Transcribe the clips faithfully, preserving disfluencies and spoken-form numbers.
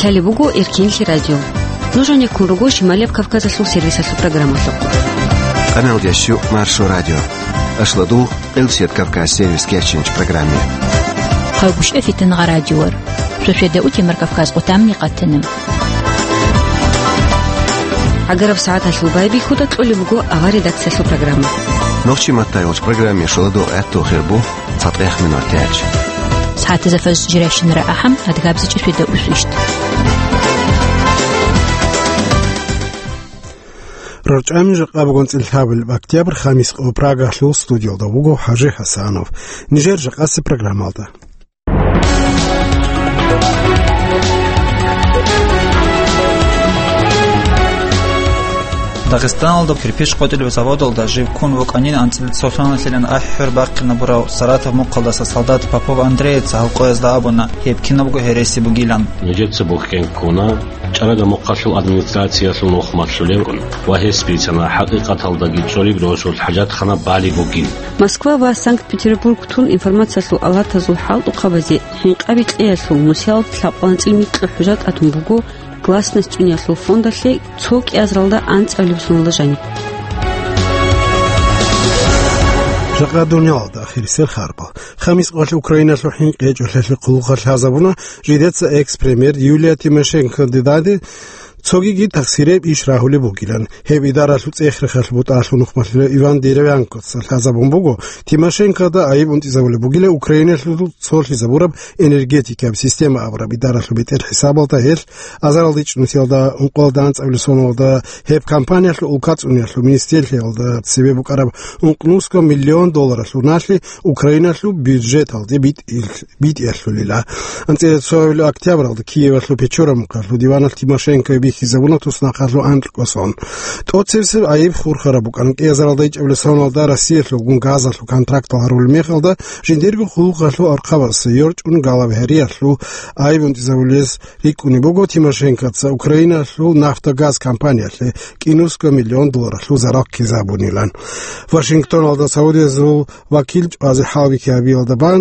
Талеб буго Эркинлъи радио. Нуж гьанир ккун руго Шималияб Кавказалъул сервисалъул программалъухъ. Къаналдящу Маршо радио. Ашладугъ, Къилсият Кавказ сервис керчинч программе. Хъалгушев Фитнагъа радиор. Шошеда утемар Кавказ къутамни къатана. Агараб сагӀаталъул байбихьуда кьолеб буго авар редакциялъул программа. Нохчи маттай вач программе шоладугъ гӀатту хирбу. Цадгъех минутач. СагӀатазда фаз жирайщинара ахӀам, адгабзичӀеб шведа усвищт. РорчӀами жакъа бугон цӀилъабил октябрь, хамис къо, Прагалъул студиялда вуго ХӀажи ХӀасанов. Нижер жакъаси программалда. Дагъистаналда кирпич къотӀилеб заводалда жив ккун вукӀанин анцӀила цолъаналъилан ахӀи-хӀур бахъинабурав Саратов мухъалдаса солдат Попов Андреяца гьалкъоязда абуна, гьеб кинабго гьереси бугилан. Нижеца бухьен ккуна ЧӀарада мухъалъул администрациялъул нухмалъулевгун ва гьес бицана хӀакъикъаталдаги цолеб росулъ хӀажатхана балеб бугин. Москва ва Санкт-Петербург тун информациялъул алатазул хӀалтӀухъабазе хӀинкъаби кьеялъул нусиялда лъабкъоялда анцӀила микьа хӀужа тӀатун буго Гласность цӀуниялъул фондалъе цо кӀиазаралда анцӀабилеб соналда жаниб. Жакъа дуниялалда ахирисел харбал. Хамис къоялъ Украиналъул хӀинкъи гьечӀолъиялъе хъулухъалъ лъазабуна жидеца экс-премьер Юлия Тимошенко дидаде цогиги тахсиреб иш рагьулеб бугилан. Гьеб идаралъул цӀех-рехалъ бутӀалъул нухмалъулев Иван Деревянкоца лъазабун буго, Тимошенкода айиб унтӀизабулеб бугила Украиналъул цолъизабураб энергетикаб система абураб идаралъул бетӀер хӀисабалда гьелъ азаралда ичӀнусиялда ункъоялда анцӀабилеб соналда гьеб компаниялъул улка цӀуниялъул министрлъиялда цебе букӀараб ункънусго миллион долларалъул налъи Украиналъул бюджеталде битӀил-, битӀиялъулила. АнцӀила цоабилеб октябралда Киевалъул Печора мухъалъул диваналъ Тимошенкое бихьизабуна туснахъалъул анкьго сон. ТӀоцебесеб айиб хурхараб букӀана кӀиазаралда ичӀабилеб соналда Россиялъулгун газалъул контрактал гьарулеб мехалда жиндирго хъулухъалъул архъабазе йорчӀун галабгьариялъул айиб унтӀизабулез рикӀкӀунеб буго Тимошенкоца Украиналъул нафтогаз компаниялъе кӀинусго миллион долларалъул зарал ккезабунилан. Вашингтоналда Саудиязул вакил чӀвазе хӀалбихьи гьабиялда бан,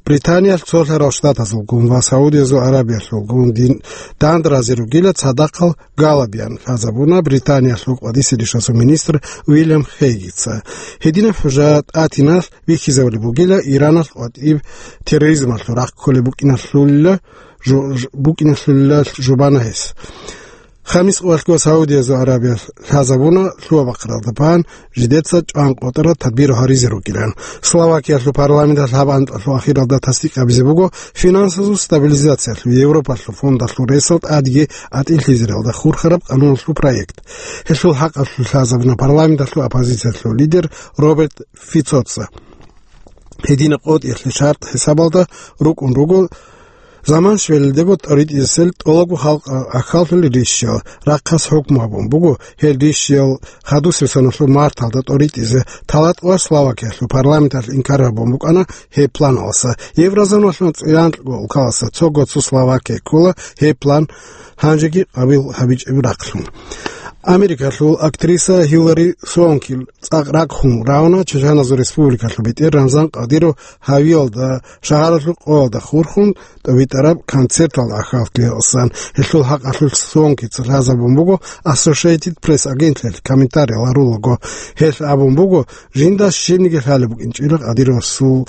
Британиялъ Цолъарал Штатазулгун ва Саудиязул Арабиялъулгун дин-, дандразе ругила цадахъал галабиян лъазабуна Британиялъул къватӀисел ишазул министр Уильям Хейгица. Гьединаб хӀужа тӀатиналъ бихьизабулеб бугила Иранал къватӀиб терроризмалъул рахъ кколеб букӀиналъулила жу-, ж-, букӀиналъулила жубана гьес. Хамис къоялъго Саудиязул Арабиялъ лъазабуна лъугьа-бахъаралда бан жидеца чӀван къотӀараб тадбир гьаризе ругилан. Словакиялъул парламенталъ гьаб анкьалъул ахиралда тасдикъ гьабизе буго финансазул стабилизациялъул Европалъул фондалъул ресал тӀадеги атӀилъизаралда хурхараб къануналъул проект. Гьелъул хӀакъалъулъ лъазабуна парламенталъул оппозициялъул лидер Роберт Фицоца. Гьединаб къотӀиялъе шартӀ хӀисабалда рукӀун руго заман щвелалдего тӀоритӀизесел тӀолабго халкъ ахьаллъулел рищал, рахъалъ хӀукму гьабун буго гьел рищал хадусеб соналъул марталда тӀоритӀизе. ТалатӀуа Словакиялъул парламенталъ инкар гьабун букӀана гьеб планалъа. Еврозоналъул цӀиянкьго улкалъа цого цо Словакия ккола гьеб план гьанжеги къабул гьабичӀеб рахълъун. Америкалъул актриса Хиллари Суонкил цӀакъ ракӀ хун равна Чеченазул Республикалъул бетӀер Рамзан Кадиров гьавиялда шагьаралъул къоялда хурхун тӀобитӀараб концерталда ахьаллъиялдасан. Гьелъул хӀакъалъулъ Суонкица лъазабун буго Associated Press агентлъиялъ комментариял гьарулаго. Гьелъ абун буго, жинда щибниги лъалеб букӀинчӀила Кадировасул,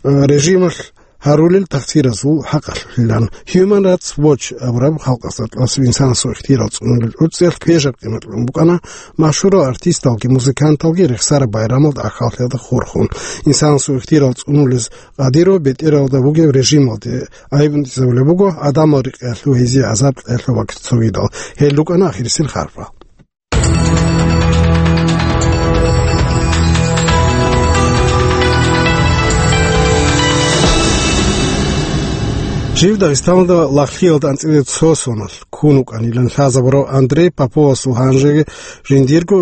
э, режималъ гьарулел тахсиразул хӀакъалъулъилан. Human Rights Watch абураб халкъалъ тӀаса инсанасул ихтияр цӀунулел гӀуцӀиялъ квешаб къимат кьун букӀана машгьурал артисталги музыканталги рехсараб байрамалда ахьаллъиялда хурхун. Инсанасул ихтияр цӀунулез Кадиров бетӀералда бугеб режималде айиб унтӀизабулеб буго, гӀадамал рекъеялъул гьезие гӀазаб кьеялъул вакт цогидал. Гьел рукӀана ахирисел харпал. Жив Дагъистаналда лагълъиялда анцӀила цо соналъ ккун вукӀанилан лъазабурав Андрей Поповасул гьанжеги жиндирго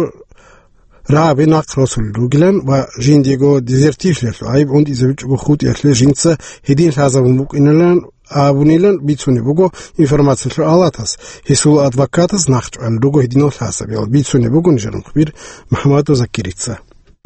рагӀаби нахъ росулел ругилан ва жиндиего дезертирлъиялъул гӀайиб унтӀизабичӀого хутӀиялъе жинца гьедин лъазабун букӀинилан абунилан бицунеб буго информациялъул алатас. Гьесул адвокатас нахъчӀвалел руго гьединал лъазабиял, бицунеб буго нижер мухбир МухӀаммадов Закирица.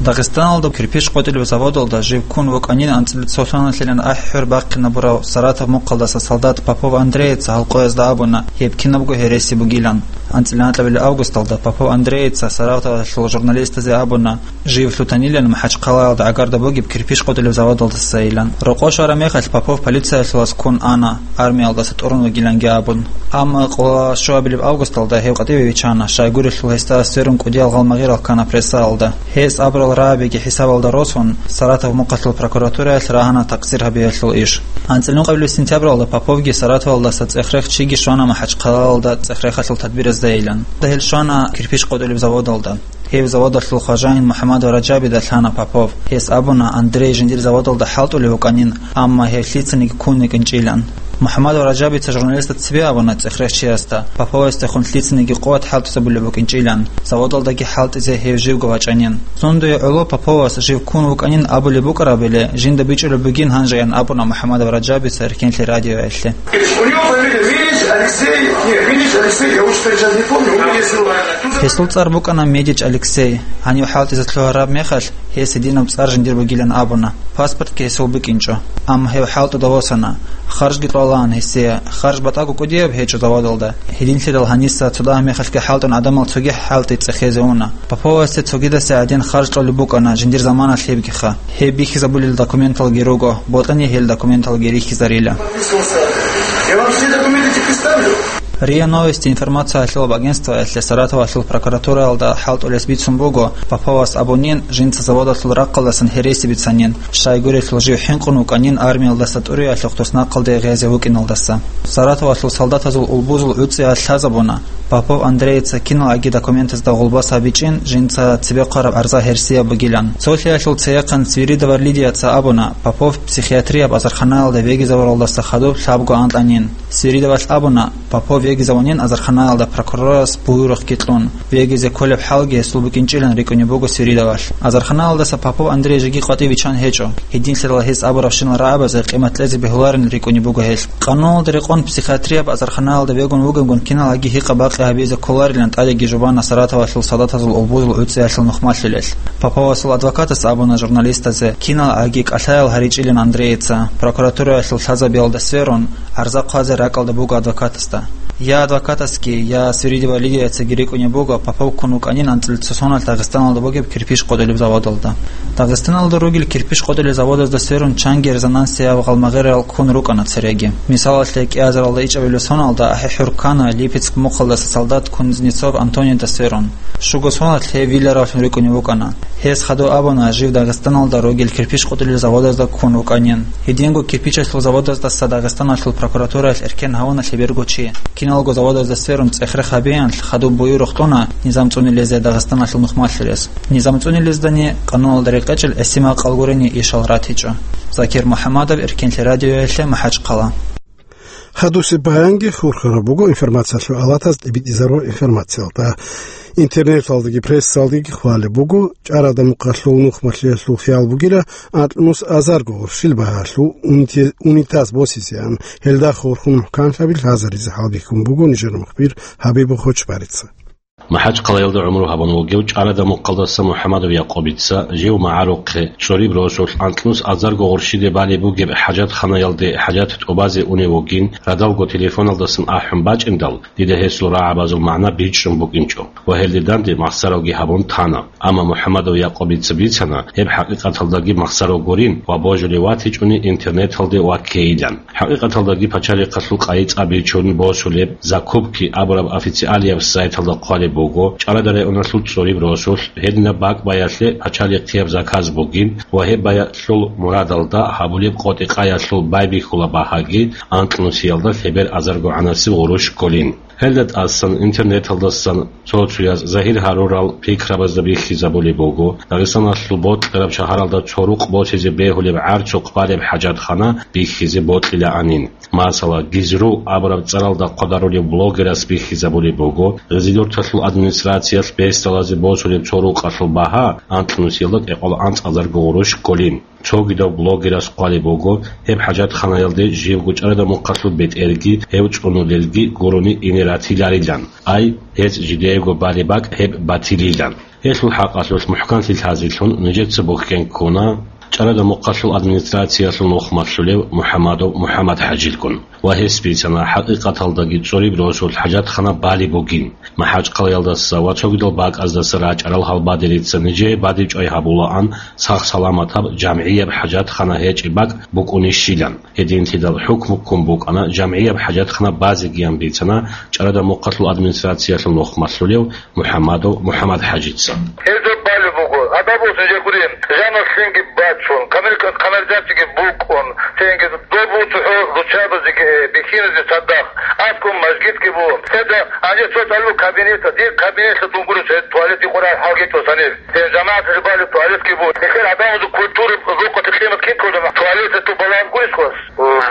Дагъистаналда кирпич къотӀилеб заводалда жив ккун вукӀанин анцӀила цо соналъилан ахӀи-хӀур бахъинабурав Саратов мухъалдаса солдат Попов Андреяца гьал къоязда абуна, гьеб кинабго гьереси бугилан. АнцӀила анкьабилеб августалда Попов Андреяца Саратовалъул журналистазе абуна, жив лъутанилан МахӀачхъалаялда гӀагарда бугеб кирпич къотӀилеб заводалдасайилан. Рокъов щвараб мехалъ Попов полициялъулас ккун ана, армиялдаса тӀурун вугиланги абун. Амма къола щуабилеб августалда гьев къватӀиве виччана, щайгурелъул гьесда сверун кӀудиял гъалмагъирал ккана прессаялда. Гьес абурал рагӀабиги хӀисабалда росун, Саратов мухъалъул прокуратураялъ рагьана такъсир гьабиялъул иш. АнцӀила ункъабилеб сентябралда Поповги Саратовалдаса цӀех-рех чиги щвана МахӀачхъалаялда цӀех-рехалъул тадбирзайилан. Гьел щвана кирпич къотӀулеб заводалда. Гьев заводалъул хважаин МухӀаммадов Ражабида лъана Попов. Гьес абуна, Андрей жиндир заводалда хӀалтӀулев вукӀанин, амма гьев лъицаниги ккун вукӀинчӀилан. МухӀаммадов Ражабица журналистаца цебе абуна цӀех-рех чиясда, Поповасдехун лъицаниги къуват хӀалтӀизабулеб букӀинчӀилан, заводалдаги хӀалтӀизе гьев живго вачӀанин. Цундуе гӀоло Поповас жив ккун вукӀанин абулеб букӀарабиле, жинда бичӀчӀулеб бугин гьанжеян абуна МухӀаммадов Ражабица Эркенлъи радиоялъе. У него фамилия Минич Алексей, не, Минич Алексей, я очень сейчас не помню, у меня есть... Гьесул цӀар букӀана Медич Алексей. Гьанив хӀалтӀизе лъугьараб мехалъ, гьес гьединаб цӀар жиндир бугилан абуна. Паспортги гьесул букӀинчӀо. Амма гьев хӀалтӀуда восана. Харжги кьолаан гьесие. Харж батӀаго кӀудияб гьечӀо заводалда. Гьединлъидал гьаниса цо дагьа мехалъги хӀалтӀун гӀадамал цоги хӀалтӀи цӀехезе уна. Поповасде цогидасе гӀадин харж кьолеб букӀана, жиндир заманалъ гьебгиха. Гьеб бихьизабулел документалги руго, бокьани гьел документалги рихьизарила. Я вам все документы представлю. РИА Новости информациялъулаб агентствоялъе Саратовалъул прокуратураялда хӀалтӀулес бицун буго, Поповас абунин, жинца заводалъул рахъалдасан гьереси бицанин, щайгурелъул жив хӀинкъун вукӀанин армиялдаса тӀуриялъухъ туснахъалде гъезе вукӀиналдаса. Саратовалъул солдатазул улбузул гӀуцӀиялъ лъазабуна, Попов Андрейица киналги документазда гъулбас гьабичӀин, жинца цебе хъвараб гӀарза гьерсияб бугилан. Цолъиялъул цеяхъан Свиридова Лидияца абуна, Попов психиатрияб азарханаялда вегизавуралдаса хадуб лъабго анкьанин. Свиридовалъ абуна, Попов вегизавунин азарханаялда прокурорас буюрухъги кьун, вегизе кколеб хӀалги гьесул букӀинчӀилан рикӀкӀунеб буго Свиридовалъ. Азарханаялдаса Попов Андрей жеги къватӀив виччан гьечӀо. Гьединлъидал гьес абурабщинал рагӀабазе къимат кьезе бегьуларин рикӀкӀунеб буго гьелъ. Къануналда рекъон психиатрияб азарханалда вегун вугевгун киналги гьикъа-бакъи гьабизе кколарилан тӀадеги жубана Саратовалъул солдатазул улбузул гӀуцӀиялъул нухмалъилел. Поповасул адвокатас абуна журналистазе, киналги кӀалъаял гьаричӀилин Андрейица, прокуратураялъул лъазабиялда сверун, гӀарза хъвазе ракӀалда буго адвокатасда. Я адвокатасги, я Свиридова Лидияцаги рикӀкӀунеб буго, Попов ккун вукӀанин анцӀила цо соналъ Дагъистаналда бугеб кирпич къотӀулеб заводалда. Дагъистаналда ругел кирпич къотӀулел заводазда сверун чанги резонансияб гъалмагъирал ккун рукӀана цереги. Мисалалъе, кӀиазаралда ичӀабилеб соналда ахӀи-хӀур ккана Липецк мухъалдаса солдат Кузнецов Антонида сверун. Щуго соналъ гьев виларавлъун рикӀкӀунев вукӀана. Гьес хадув абуна, жив Дагъистаналда ругел кирпич къотӀулел заводазда ккун вукӀанин. Гьединго кирпичалъул заводаздаса Дагъистаналъул прокуратураялъ эркен гьавуна лъеберго чи. Киналго заводазда сверун цӀех-рех гьабиянлъ хадуб буюрухъ кьуна низам цӀунилезе Дагъистаналъул нухмалъилес. Низам цӀунилездани къануналда рекъечӀел гӀисинал кӀал гурени ишал ратичӀо. Закир МухӀамадов, Эркенлъи радиоялъе, МахӀачхъала. Гьадусеб баянги хурхараб буго информациялъул алатаз тӀибитӀизарурал информациялда. Интернеталдаги прессалдаги хъвалеб буго, ЧӀарада-Мухъалъул нухмалъиялъул хиял бугила анкьнус азарго гъурщил багьалъул унити-, унитаз босизеан, гьелда хурхун мухӀканлъаби лъазаризе хӀалбихьун буго нижер мухбир Хабиб Хочбарица. МахӀачхъалаялда гӀумру гьабун вугев ЧӀарада-Мухъалдаса МухӀамадов Якъубица жив магӀарухъе, цӀориб росулъ анкьнус азарго гъурщиде балеб бугеб хӀажатханаялде хӀажат тӀубазе унев вугин, радалго телефоналдасан ахӀун бачӀиндал, дида гьесул рагӀабазул магӀна бичӀчӀун букӀинчӀо ва гьелде данде махсаравги гьабун тана. Амма МухӀамадов Якъубица бицана, гьеб хӀакъикъаталдаги махсарав гурин ва божулев ватичӀони интернеталде ваккейилан. ХӀакъикъаталдаги пачалихъалъул къайи-цӀа бичун босулеб, закупки абураб официалияб сайталда хъвалеб буго, ЧӀарада районалъул цӀориб росулъ гьединаб бакӀ баялъе пачалихъияб заказ бугин ва гьеб баялъул мурадалда гьабулеб къотӀи-къаялъул байбихьула багьаги анкьнусиялда лъебер азарго гӀанасеб гъурущ кколин. Гьелда тӀасан интернеталдасан цо-цояз загьир гьарурал пикрабазда бихьизабулеб буго, Дагъистаналъул бокьараб шагьаралда цо рукъ босизе бегьулеб гӀарцухъ балеб хӀажатхана бихьизе бокьилаанин. Масала, Гизру абураб цӀаралда хъвадарулев блогерас бихьизабулеб буго, Гъизилюрталъул администрациялъ бесдалазе босулеб цо рукъалъул багьа анкьнусиялда кӀикъоялда анцӀазарго гъурущ кколин. Цогидав блогерас хъвалеб буго, гьеб хӀажатханаялде живго ЧӀарада-Мухъалъул бетӀерги, гьев цӀунулелги гурони ине ратиларилан. Ай, гьез жидеего балеб бакӀ гьеб батилилан. Гьелъул хӀакъалъулъ мухӀканлъи лъазелъун нижеца бухьен ккуна ЧӀарада Мухъалъул администрациялъул нухмалъулев МухӀаммадов МухӀаммад-хӀажилгун ва гьес бицана хӀакъикъаталдаги цӀуриб росулъ хӀажатхана балеб бугин. МахӀачхъалаялдаса ва цогидал бакӀаздаса рачӀарал гьалбадерица нижее бадибчӀвай гьабулаан сах-саламатаб жамгӀияб хӀажатхана гьечӀеб бакӀ букӀунищилан. Гьединлъидал хӀукму ккун букӀана жамгӀияб хӀажатхана базегиян бицана ЧӀарада Мухъалъул администрациялъул нухмалъулев МухӀаммадов МухӀаммад-хӀажилъ. Гьезда балеб буго, гьадаб ус жегури, жаналъ лъимги бачун, камер-, канализациги букӀун, цинги доб цохӀо руччабазеги, э, бихьиназе цадахъ, аскӀун мажгитги бугун. Гьезда гьанже цо цӀалул кабинета, дир кабинеталъ дунгурес гьез туалет икъурай хӀалги тӀосанир. Гьез жамагӀаталъе балеб туалетги бугун. Гьелъер гӀадамазул культура, рукъалъе къимат кин ккола, туалеталъул балагьун гурищ хвас?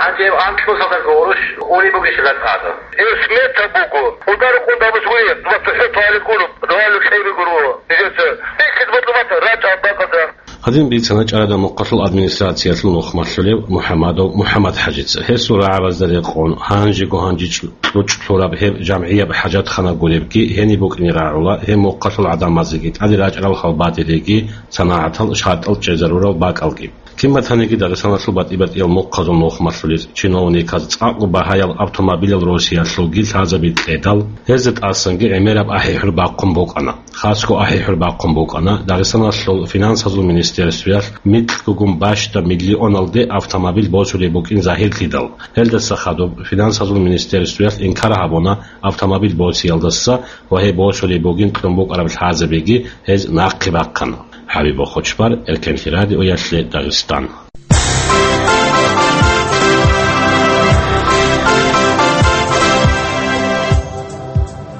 Гьанже анкьусалда гъурущ ури бугищ лакъада? Гьеб смета буго. КӀударукъун дабус гури, ва цохӀо туалет гуро, дугьалил кьеби гуро. Нижеца бихьиз бутӀумат рачӀа бакӀалда. Гьадин бицана ЧӀарада Мухъалъул администрациялъул нухмалъулев МухӀаммадов МухӀаммад-хӀажилъ. Гьесул рагӀабазда рекъон, гьанжего-гьанжи кьучӀ лъураб гьеб жамгӀияб хӀажатхана гуребги, гьениб букӀине рагӀула гьеб мухъалъул гӀадамазеги, тӀаде рачӀарал гьалбадериги, санагӀатал шартӀал чӀезарурал бакӀалги. Кин батаниги Дагъистаналъул батӀи-батӀиял мухъазул нухмалъулел чиновниказ цӀакъго багьаял автомобилал росиялъулги лъазаби кьедал, гьезда тӀасанги гӀемераб ахӀи-хӀур бахъун букӀана. Хасго ахӀи-хӀур бахъун букӀана Дагъистаналъул финансазул министерствоялъ микьгогун бащда миллионалде автомобиль босулеб букӀин загьирлъидал. Гьелдаса хадуб финансазул министерствоялъ инкар гьабуна автомобиль босиялдаса ва гьеб босулеб бугин кьун букӀараб лъазабиги гьез нахъе бахъана. ХӀабиб Бохочбар, Эркенлъи радиоялъе Дагъистан.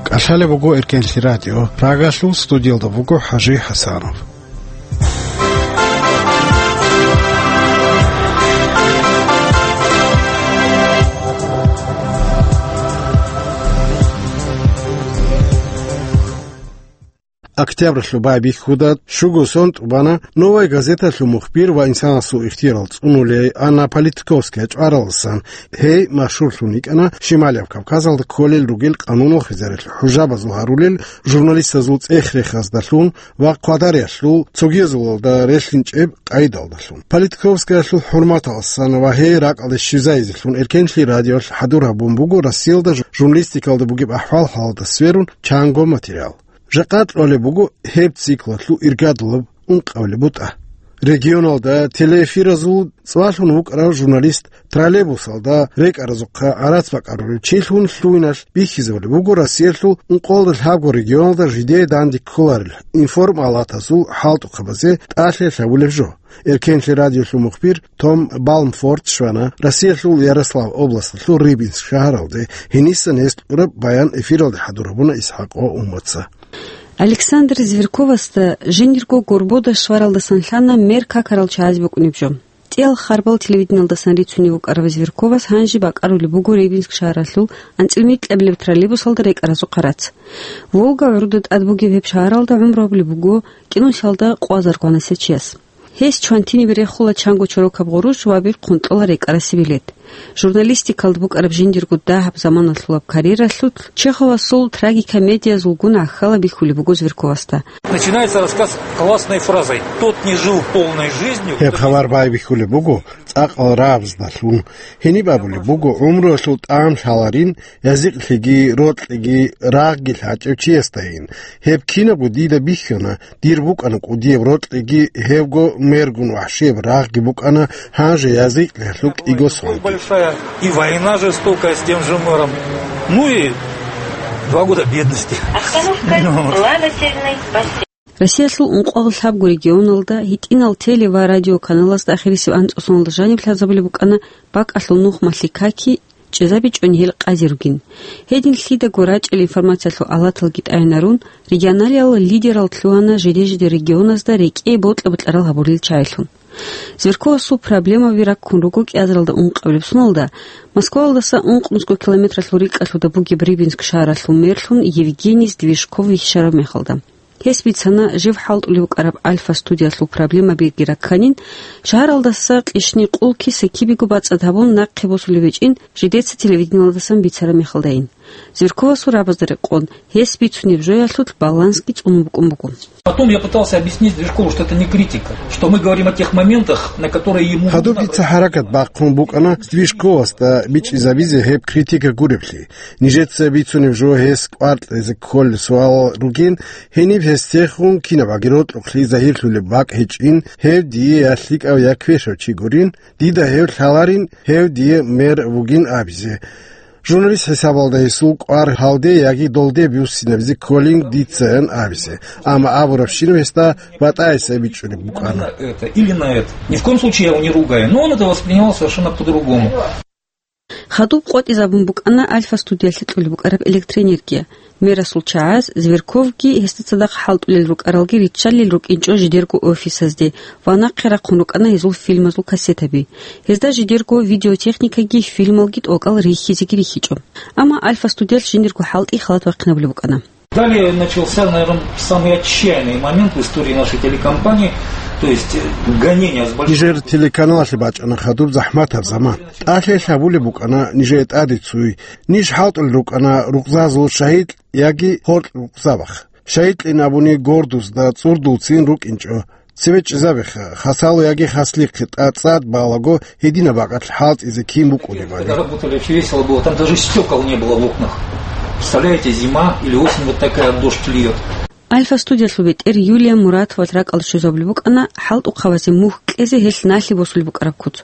КӀалъалеб буго Эркенлъи радио. Прагалъул студиялда буго ХӀажи ХӀасанов. Октябралъул байбихьуда щуго сон тӀубана «Новая газеталъул» мухбир ва инсанасул ихтияр цӀунулей Анна Политковская чӀваралдасан. Гьей машгьурлъун йикӀана Шималияб Кавказалда кколел ругел къануналъул хӀужабазул гьарулел журналистазул цӀех-рехаздалъун ва хъвадариялъул цогиязулалда релълъинчӀеб къайдалдалъун. Политковскаялъул хӀурматалдасан ва гьей ракӀалде щвезайизелъун Эркенлъи радиоялъ хӀадур гьабун буго Россиялда журналистикалда бугеб ахӀвал-хӀалалда сверун чанго материал. Жакъа кьолеб буго гьеб циклалъул иргадулаб ункъабилеб бутӀа. Регионалда телеэфиразул цӀвалъун вукӀарав журналист троллейбусалда рекӀаразухъа гӀарац бакӀарулев чилъун лъугьиналъ бихьизабулеб буго Россиялъул ункъоялда лъабго регионалда жидее данде кколарел информалатазул хӀалтӀухъабазе тӀалъи лъабулеб жо. Эркенлъи радиолъул мухбир Том Балмфорд щвана Россиялъул Ярослав областалъул Рыбинск шагьаралде, гьениса гьес кьураб баян эфиралде хӀадур гьабуна ИсхӀакъо Умаца. Александр Зверковасда жиндирго горбода щваралдасан лъана мер какарал чагӀаз букӀунеб жо. КӀиал харбал телевидениялдасан рицунев вукӀарав Зверковас гьанже бакӀарулеб буго Рыбинск шагьаралъул анцӀил микьабилеб троллейбусалда рекӀаразухъа рац. Волга гӀуруда тӀад бугеб гьеб шагьаралда гӀумру гьабулеб буго кӀинусиялда къвазаргванасев чияс. Гьес чвантинибе рехула чанго чорокаб гъурущ ва бихъун кьола рекӀарасе билет. Журналистикалда букӀараб жиндирго дагьаб заманалъулаб карьералъулъ Чеховасул трагикомедиязулгун гӀахьалаб бихьулеб буго Зверковасда. Начинается рассказ классной фразой: «Тот не жил полной жизнью, кто не...» Гьеб хабар байбихьулеб буго цӀакъал рагӀабаздалъун. Гьениб абулеб буго гӀумруялъул тӀам лъаларин, язикълъиги, рокьиги, рагъги лъачӀев чиясдайин. Гьеб кинабго дида бихьана, дир букӀана кӀудияб рокьиги, гьебго мергун вахӀшияб рагъги букӀана, гьанже язикълъиялъул кӀиго сон. Большая и война жестокая с тем же мэром. Ну и два года бедности. Остановка. Ну вот. Плавательный бассейн. Россиялъул ункъоялда лъабго регионалда гьитӀинал теле- ва радиоканалазда ахирисеб анцӀго соналда жаниб лъазабулеб букӀана бакӀалъул нухмалъи каки, чӀезабичӀони гьел къазе ругин. Гьедин лъидаго рачӀел информациялъул алаталги тӀайинарун, регионалиялъул лидерал лъугьана жиде-жиде регионазда рекӀее бокьа-бокьарал гьабулел чагӀилъун. Зверковасул проблемаби раккун руго кӀиазаралда ункъабилеб соналда, Москваялдаса ункънусго километралъул рикӀкӀалъуда бугеб Рыбинск шагьаралъул мерлъун Евгений Здвижков вихьараб мехалда. Гьес бицана, жив хӀалтӀулев вукӀараб Альфа студиялъул проблемабиги ракканин, шагьаралдаса кьишни къул киса-кибего бацӀцӀад гьабун нахъе босулеб гьечӀин жидеца телевидениялдасан бицараб мехалдайин. Зверьковасул рабазда рекъон, гьес бицунеб жоялъулъ балансги цӀунун букӀун буго. Потом я пытался объяснить Зверькову, что это не критика, что мы говорим о тех моментах, на которые ему... Гьадуб нужно... Дица хӀаракат бахъун букӀана Зверьковасда бичӀчӀизабизе гьеб критика гуреблъи. Нижеца бицунеб жо гьес кӀвар кьезе кколел суалал ругин, гьениб гьесдехун кинабаги рокьухълъи загьирлъулеб бакӀ гьечӀин, гьев дие я лъикӀав, я квешав чи гурин, дида гьев лъаларин, гьев дие мэр вугин абизе. Журналист хӀисабалда гьесул кӀвар гьалде яги долде буссинабизе кколин дицаян абизе, амма абурабщинаб гьесда батӀа-гьесай бичӀчӀулеб букӀана. На это или на это. Ни в коем случае я его не ругаю, но он это воспринимал совершенно по-другому. Хадуб къотӀизабун букӀана Альфа студиялъе кьолеб букӀараб электроэнергия. Мерасул чагӀаз Зверьковги гьесда цадахъ хӀалтӀулел рукӀаралги риччалел рукӀинчӀо жидерго офисазде ва нахъе рахъун рукӀана гьезул фильмазул кассетаби. Гьезда жидерго видеотехникаги фильмалги тӀокӀал рихьизеги рихьичӀо. Амма Альфа студиялъ жиндирго хӀалтӀи халат бахъинабулеб букӀана. Далее начался, наверное, самый отчаянный момент в истории нашей телекомпании, то есть, э, гонения с большой... Нижер телеканалалъе бачӀана хадуб захӀматаб заман. ТӀалъи гьабулеб букӀана нижее тӀаде цуй. Ниж хӀалтӀулел рукӀана рукъзазул шагьид яги гьоркь рукъзабахъ. Шагьидлъин абуни гордузда цӀурдулцин рукӀинчӀо. Цеве чӀезабеха, хасало яги хаслихъе тӀа-, цӀад балаго гьединаб бакӀалъ хӀалтӀизе кин букӀунебали. Когда работали, очень весело было, там даже стекол не было в окнах. Представляете, зима или осень вот такая, дождь льёт. Альфа студиялъул бетӀер Юлия Муратовал ракӀалда щвезабулеб букӀана хӀалтӀухъабазе мухь кьезе гьелъ налъи босулеб букӀараб куц.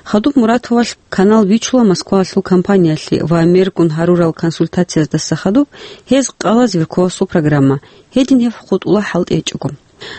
Хадуб Муратовал канал бичула Москваялъул компаниялъе ва мергун гьарурал консультациязда хадуб гьез къала Зверьковасул программа, гьедин гьеб хутӀула хӀалтӀи гьечӀого.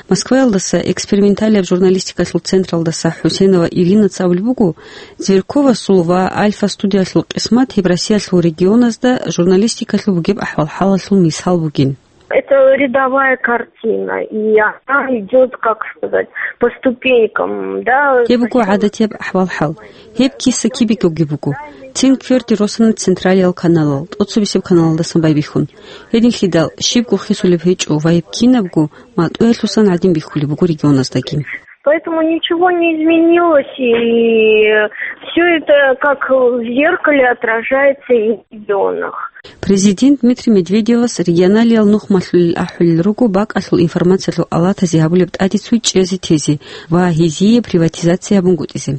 Москваялдаса эксперименталияб журналистикалъул централдаса ХӀусейнова Иринаца абулеб буго, Зверьковасул ва Альфа студиялъул къисмат гьеб Россиялъул регионазда журналистикалъул бугеб ахӀвал-хӀалалъул мисал бугин. Это рядовая картина, и она идёт, как сказать, по ступенькам, да. Гьеб буго гӀадатияб ахӀвал-хӀал. Гьеб киса кибикӀоги буго. Цин кверде росана централиял каналал, тӀоцебесеб каналалдасан байбихьун. Гьединлъидал щибго хисулеб гьечӀо ва гьеб кинабго матӀуялъусан гӀадин бихьулеб буго регионаздаги. Поэтому ничего не изменилось, и всё это как в зеркале отражается и в регионах. Президент Дмитрий Медведевас регионалиял нухмалъулел ахӀулел руго бакӀалъул информациялъул алатазе гьабулеб тӀаде цуй чӀезе тезе ва гьезие приватизация гьабунгутӀизе.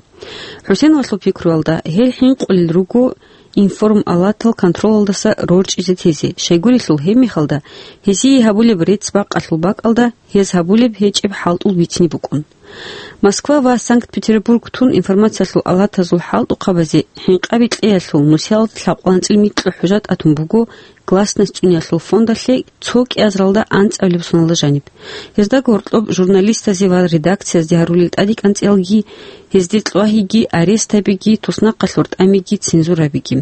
ХӀусейновалъул пикруялда, гьел хӀинкъулел руго информалатал контролалдаса рорчӀизе тезе, щайгурелъул гьебмехалда гьезие гьабулеб рецц бакъалъул бакӀалда гьез гьабулеб гьечӀеб хӀалтӀул бицине букӀун. Москва ва Санкт-Петербург тун информациялъул алатазул хӀалтӀухъабазе хӀинкъаби кьеялъул нусиялда лъабкъоялда анцӀила микьго хӀужа тӀатун буго Гласность цӀуниялъул фондалъе цо кӀиазаралда анцӀабилеб соналда жаниб. Гьезда гьоркьоб журналистазе ва редакциязде гьарулел тӀаде кӀанцӀиялги, гьезде кьвагьиги, арест гьабиги, туснахъалъур тӀамиги, цензура гьабиги.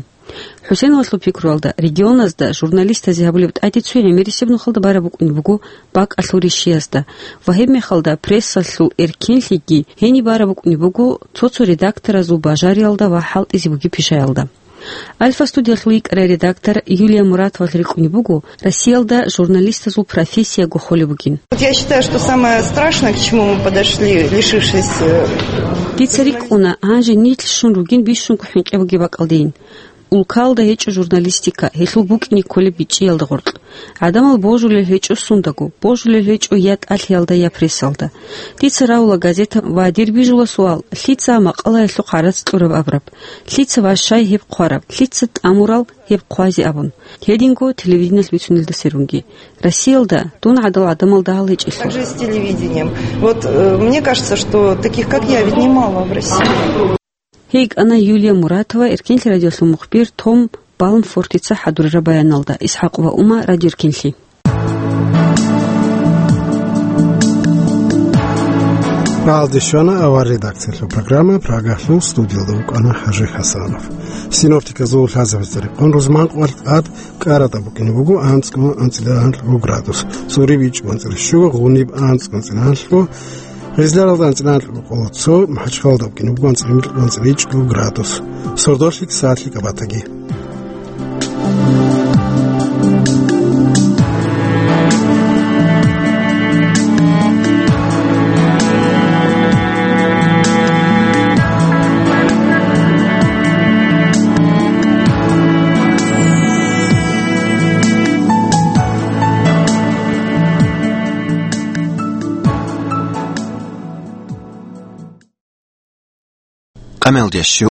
ХӀусейновалъул пикруялда, регионазда журналистазе гьабулеб тӀаде цуй гӀемерисеб нухалда бараб букӀунеб буго бакӀалъул ришиязда ва гьебмехалда прессалъул эркенлъиги гьениб бараб букӀунеб буго цо-цо редакторазул бажариялда ва хӀалтӀизе бугеб пишаялда. Альфа студиялъул йикӀарай редактор Юлия Муратовал рикӀкӀунеб буго Россиялда журналистазул профессияго холеб бугин. Вот я считаю, что самое страшное, к чему мы подошли, лишившись, э, Дица рикӀкӀуна, гьанже нилъ щун ругин бищунго хӀинкъи бугеб бакӀалдейин. Улкалда гьечӀо журналистика, гьелъул букӀине кколеб бичӀчӀиялда гъоркь. ГӀадамал божулел гьечӀо сундаго, божулел гьечӀо я тӀалъиялда, я прессалда. Дица равула газета ва дир бижула суал, лъица макъалаялъухъ гӀарац кьураб абураб, лъица ва щай гьеб хъвараб, лъица тӀамурал гьеб хъвазе абун. Гьединго телевидениялъ бицунелда сверунги. Россиялда дун гӀадал гӀадамал дагьал гьечӀелъул. Как же с телевидением? Вот, э, мне кажется, что таких, как я, ведь немало в России. Гьей кӀана Юлия Муратова, Эркенлъи радиолъул мухбир Том Балмфортица хӀадурараб баяналда. ИсхӀакъ ва Ума, Радио Эркенлъи. Балде щвана авар редакциялъул программа, Прагалъул студиялда вукӀана ХӀажи ХӀасанов. Синоптиказул лъазабазда рекъон рузман къваркь тӀад КӀаратӀа букӀине буго анцӀго анцӀила гьанлъго градус, ЦӀуриб ичӀго анцӀила щуго, Гъуниб анцӀго анцӀила гьанлъго, Гъизларалда анцӀила гьанлъго къоло цо, МахӀачхъалалда букӀине буго анцӀила гьанлъго анцӀила ичӀго градус. Сордолъи ксалъи кабатаги. Амалдеш.